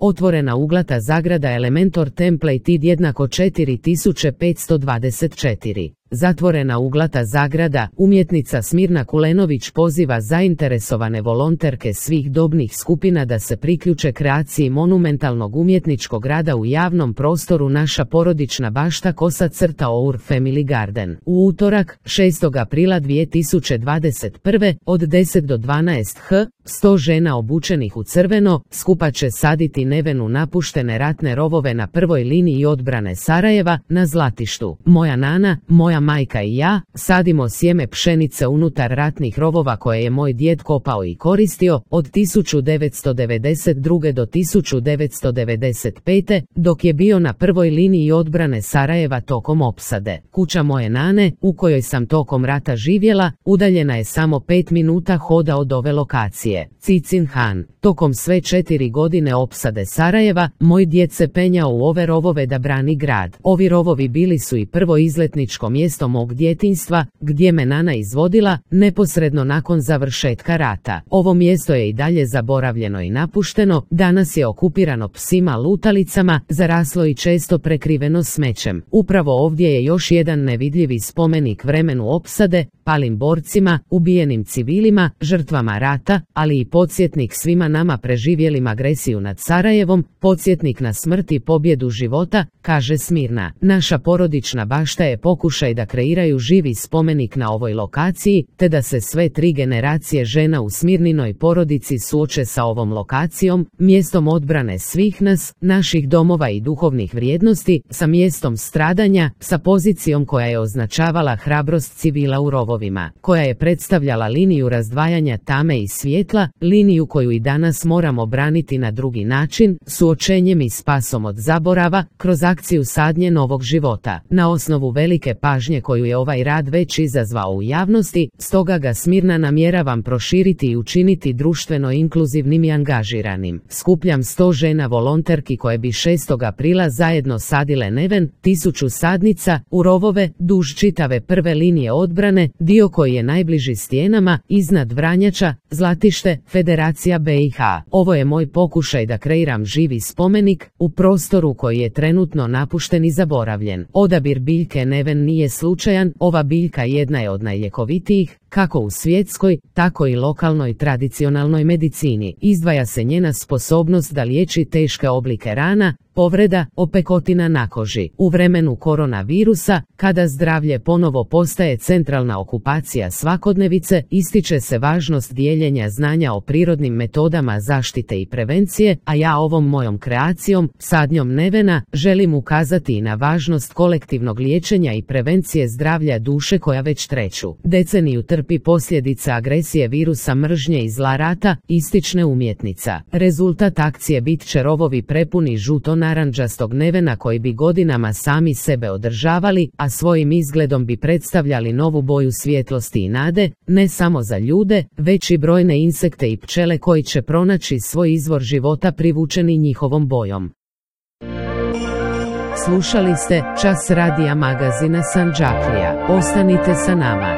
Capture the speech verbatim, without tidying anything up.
Otvorena uglata zagrada Elementor template id jednako četiri tisuće petsto dvadeset četiri. Zatvorena uglata zagrada, umjetnica Smirna Kulenović poziva zainteresovane volonterke svih dobnih skupina da se priključe kreaciji monumentalnog umjetničkog rada u javnom prostoru Naša porodična bašta kosa crta Our Family Garden. U utorak, šestog aprila dvije tisuće dvadeset prve, od deset do dvanaest h, sto žena obučenih u crveno, skupa će saditi nevenu napuštene ratne rovove na prvoj liniji odbrane Sarajeva, na Zlatištu. Moja nana, moja majka i ja, sadimo sjeme pšenice unutar ratnih rovova koje je moj djed kopao i koristio, od tisuću devetsto devedeset druge do tisuću devetsto devedeset pete, dok je bio na prvoj liniji odbrane Sarajeva tokom opsade. Kuća moje nane, u kojoj sam tokom rata živjela, udaljena je samo pet minuta hoda od ove lokacije. Cicin Han. Tokom sve četiri godine opsade Sarajeva, moj djed se penjao u ove rovove da brani grad. Ovi rovovi bili su i prvo izletničko mjesto mog djetinjstva, gdje me nana izvodila, neposredno nakon završetka rata. Ovo mjesto je i dalje zaboravljeno i napušteno, danas je okupirano psima lutalicama, zaraslo i često prekriveno smećem. Upravo ovdje je još jedan nevidljivi spomenik vremenu opsade, palim borcima, ubijenim civilima, žrtvama rata, ali i podsjetnik svima nama preživjelim agresiju nad Sarajevom, podsjetnik na smrt i pobjedu života, kaže Smirna. Naša porodična bašta je pokušaj da kreiraju živi spomenik na ovoj lokaciji, te da se sve tri generacije žena u Smirninoj porodici suoče sa ovom lokacijom, mjestom odbrane svih nas, naših domova i duhovnih vrijednosti, sa mjestom stradanja, sa pozicijom koja je označavala hrabrost civila u rovovima, koja je predstavljala liniju razdvajanja tame i svjetla, liniju koju i danas moramo braniti na drugi način, suočenjem i spasom od zaborava, kroz akciju sadnje novog života. Na osnovu velike pažnje koju je ovaj rad već izazvao u javnosti, stoga ga Smirna namjeravam proširiti i učiniti društveno inkluzivnim i angažiranim. Skupljam sto žena volonterki koje bi šestog aprila zajedno sadile neven, tisuću sadnica, u rovove, duž čitave prve linije odbrane, dio koji je najbliži stijenama, iznad Vranjača, Zlatište, Federacija B i H. Ovo je moj pokušaj da kreiram živi spomenik, u prostoru koji je trenutno napušten i zaboravljen. Odabir biljke neven nije slučajan, ova biljka jedna je od najljekovitijih, kako u svjetskoj, tako i lokalnoj tradicionalnoj medicini. Izdvaja se njena sposobnost da liječi teške oblike rana, povreda, opekotina na koži. U vremenu koronavirusa, kada zdravlje ponovo postaje centralna okupacija svakodnevice, ističe se važnost dijeljenja znanja o prirodnim metodama zaštite i prevencije, a ja ovom mojom kreacijom, sadnjom nevena, želim ukazati i na važnost kolektivnog liječenja i prevencije zdravlja duše koja već treću deceniju trpi posljedice agresije virusa mržnje i zla rata, istične umjetnica. Rezultat akcije bit će rovovi prepuni žuto-naranđastog nevena koji bi godinama sami sebe održavali, a svojim izgledom bi predstavljali novu boju svjetlosti i nade, ne samo za ljude, već i brojne insekte i pčele koji će pronaći svoj izvor života privučeni njihovom bojom. Slušali ste Čas radija magazina Sandžaklija. Ostanite sa nama.